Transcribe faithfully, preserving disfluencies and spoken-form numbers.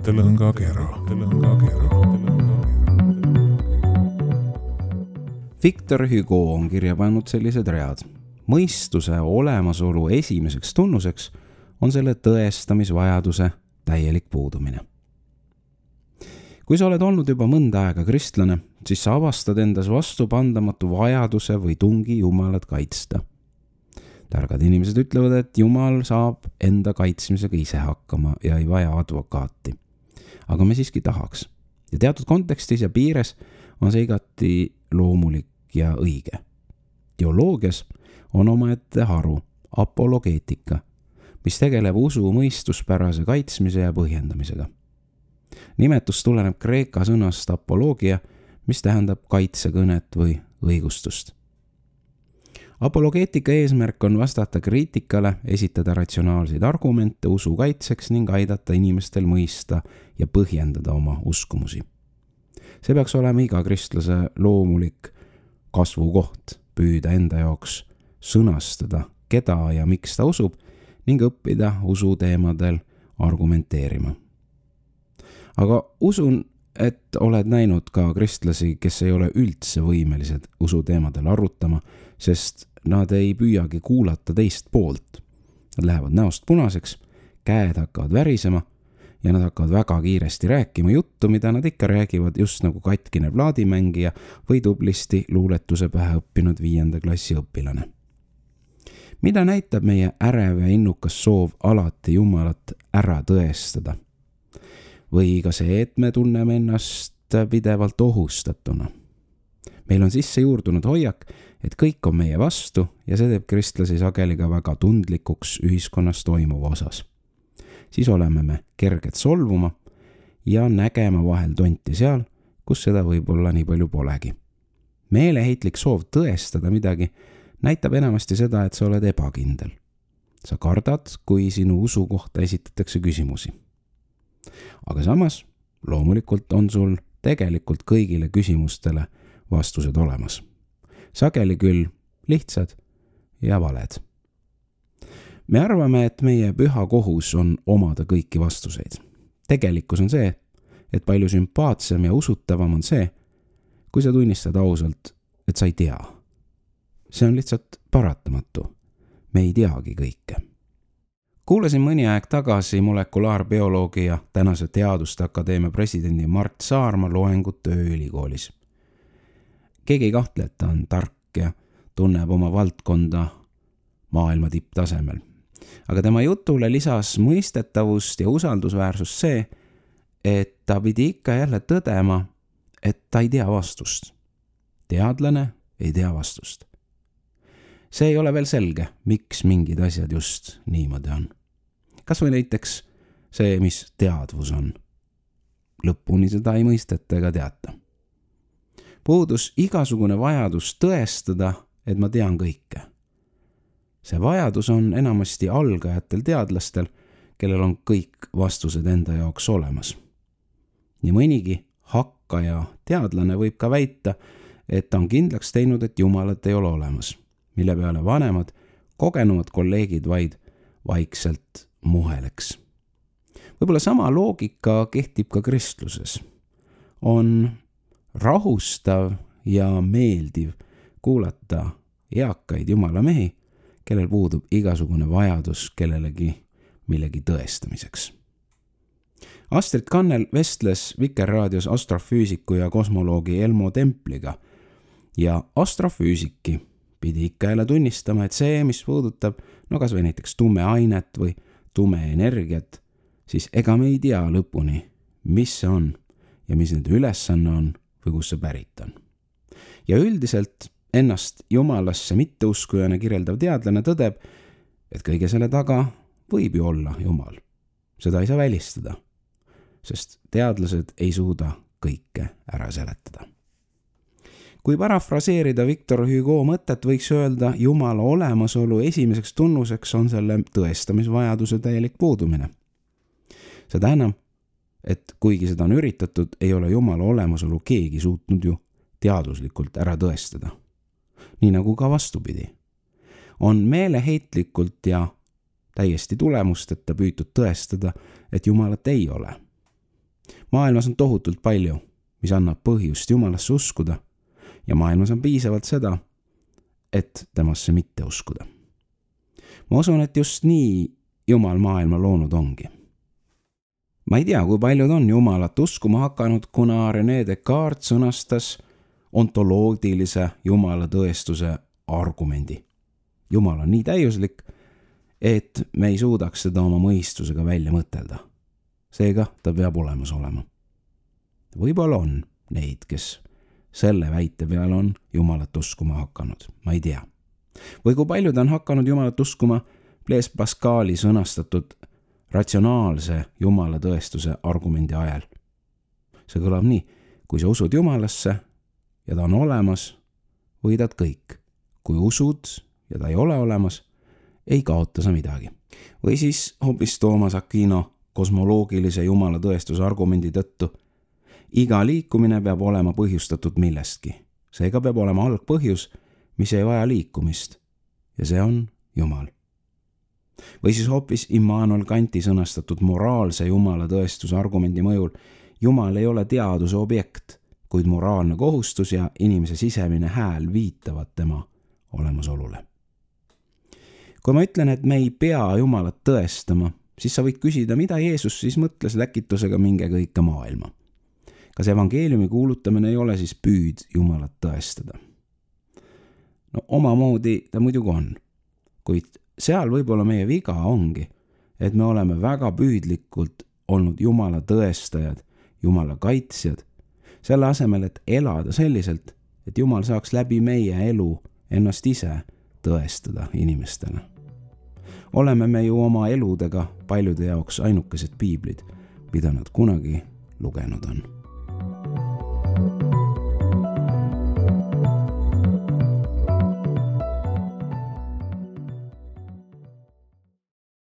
mõttelõngakera. Victor Hugo on kirja pannud sellised read. Mõistuse olemasolu esimeseks tunnuseks on selle tõestamisvajaduse täielik puudumine. Kui sa oled olnud juba mõnda aega kristlane, siis sa avastad endas vastupandamatu vajaduse või tungi Jumalat kaitsta. Targad inimesed ütlevad, et Jumal saab enda kaitsmisega ise hakkama ja ei vaja advokaati. Aga me siiski tahaks. Ja teatud kontekstis ja piires on see igati loomulik ja õige. Teoloogias on omaette haru, apologeetika, mis tegeleb usu mõistuspärase kaitsmise ja põhjendamisega. Nimetus tuleneb kreeka sõnast apoloogia, mis tähendab kaitsekõnet või õigustust. Apologeetika eesmärk on vastata kriitikale, esitada ratsionaalseid argumente usu kaitseks ning aidata inimestel mõista ja põhjendada oma uskumusi. See peaks olema iga kristlase loomulik kasvukoht, püüda enda jaoks sõnastada, keda ja miks ta usub ning õppida usu teemadel argumenteerima. Aga usun, et oled näinud ka kristlasi, kes ei ole üldse võimelised usu teemadel arutama, sest nad ei püüagi kuulata teist poolt. Nad lähevad näost punaseks, käed hakkavad värisema ja nad hakkavad väga kiiresti rääkima juttu, mida nad ikka räägivad just nagu katkine plaadimängija või tublisti luuletuse pähe õppinud viienda klassi õpilane. Mida näitab meie ärev ja innukas soov alati Jumalat ära tõestada? Või ka see, et me tunneme ennast pidevalt ohustatuna. Meil on sisse juurdunud hoiak, et kõik on meie vastu ja see teeb kristlasi sageli ka väga tundlikuks ühiskonnas toimuva osas. Siis oleme me kerged solvuma ja nägema vahel tonti seal, kus seda võib-olla nii palju polegi. Meeleheitlik soov tõestada midagi näitab enamasti seda, et sa oled ebakindel. Sa kardad, kui sinu usu kohta esitatakse küsimusi. Aga samas, loomulikult on sul tegelikult kõigile küsimustele vastused olemas. Sageli küll lihtsad ja valed. Me arvame, et meie püha kohus on omada kõiki vastuseid. Tegelikkus on see, et palju sümpaatsem ja usutavam on see, kui sa tunnistad ausalt, et sa ei tea. See on lihtsalt paratamatu. Me ei teagi kõike. Kuulasin mõni aeg tagasi molekulaarbioloogi ja tänase Teaduste Akadeemia presidendi Mart Saarma loengut tööülikoolis. Keegi ei kahtle, et ta on tark ja tunneb oma valdkonda maailma tipptasemel. Aga tema jutule lisas mõistetavust ja usaldusväärsust see, et ta pidi ikka jälle tõdema, et ta ei tea vastust. Teadlane ei tea vastust. See ei ole veel selge, miks mingid asjad just niimoodi on. Kas või näiteks see, mis teadvus on. Lõpuni seda ei mõisteta ega teata. Puudus igasugune vajadus tõestada, et ma tean kõike. See vajadus on enamasti algajatel teadlastel, kellel on kõik vastused enda jaoks olemas. Nii mõnigi hakkaja teadlane võib ka väita, et ta on kindlaks teinud, et Jumalat ei ole olemas, mille peale vanemad, kogenumad kolleegid vaid vaikselt muheleks. Võib-olla sama loogika kehtib ka kristluses. On rahustav ja meeldiv kuulata eakaid Jumala mehi, kellel puudub igasugune vajadus kellelegi millegi tõestamiseks. Astrid Kannel vestles Vikerraadios astrofüüsiku ja kosmoloogi Elmo Templiga ja astrofüüsiki pidi ikka jälle tunnistama, et see, mis puudutab no kas või näiteks tume ainet või tume energiat, siis ega me ei tea lõpuni, mis see on ja mis nende ülesanne on või kus see pärit on. Ja üldiselt ennast Jumalasse mitteuskujana kirjeldav teadlane tõdeb, et kõige selle taga võib ju olla Jumal. Seda ei saa välistada, sest teadlased ei suuda kõike ära seletada. Kui parafraseerida Victor Hugo mõtet, võiks öelda, Jumala olemasolu esimeseks tunnuseks on selle tõestamisvajaduse täielik puudumine. Seda enam, et kuigi seda on üritatud, ei ole Jumala olemasolu keegi suutnud ju teaduslikult ära tõestada. Nii nagu ka vastupidi. On meeleheitlikult ja täiesti tulemusteta püütud tõestada, et Jumalat ei ole. maailmas on tohutult palju, mis annab põhjust Jumalasse uskuda ja maailmas on piisavalt seda, et temasse mitte uskuda. Ma usun, et just nii Jumal maailma loonud ongi. Ma ei tea, kui paljud on Jumalat uskuma hakanud, kuna René Descartes sõnastas ontoloogilise Jumala tõestuse argumendi. Jumal on nii täiuslik, et me ei suudaks seda oma mõistusega välja mõtelda. Seega ta peab olemas olema. Võib-olla on neid, kes selle väite peal on Jumalat uskuma hakanud. Ma ei tea. Või kui paljud on hakanud Jumalat uskuma Blaise Pascali sõnastatud ratsionaalse Jumala tõestuse argumendi ajal. See kõlab nii, kui sa usud Jumalasse ja ta on olemas, võidad kõik. Kui usud ja ta ei ole olemas, ei kaota sa midagi. Või siis hoopis Thomas Aquino kosmoloogilise Jumala tõestuse argumendi tõttu. Iga liikumine peab olema põhjustatud millestki. Seega peab olema algpõhjus, mis ei vaja liikumist. Ja see on Jumal. Või siis hoopis Immanuel Kanti sõnastatud moraalse Jumala tõestuse argumendi mõjul. Jumal ei ole teaduse objekt, kuid moraalne kohustus ja inimese sisemine hääl viitavad tema olemasolule. Kui ma ütlen, et me ei pea Jumalat tõestama, siis sa võid küsida, mida Jeesus siis mõtles läkitusega minge kõike maailma. Kas evangeeliumi kuulutamine ei ole siis püüd Jumalat tõestada? No omamoodi ta muidugi on, kuid seal võib-olla meie viga ongi, et me oleme väga püüdlikult olnud Jumala tõestajad, Jumala kaitsjad, selle asemel, et elada selliselt, et Jumal saaks läbi meie elu ennast ise tõestada inimestele. Oleme me ju oma eludega paljude jaoks ainukesed piiblid, mida nad kunagi lugenud on.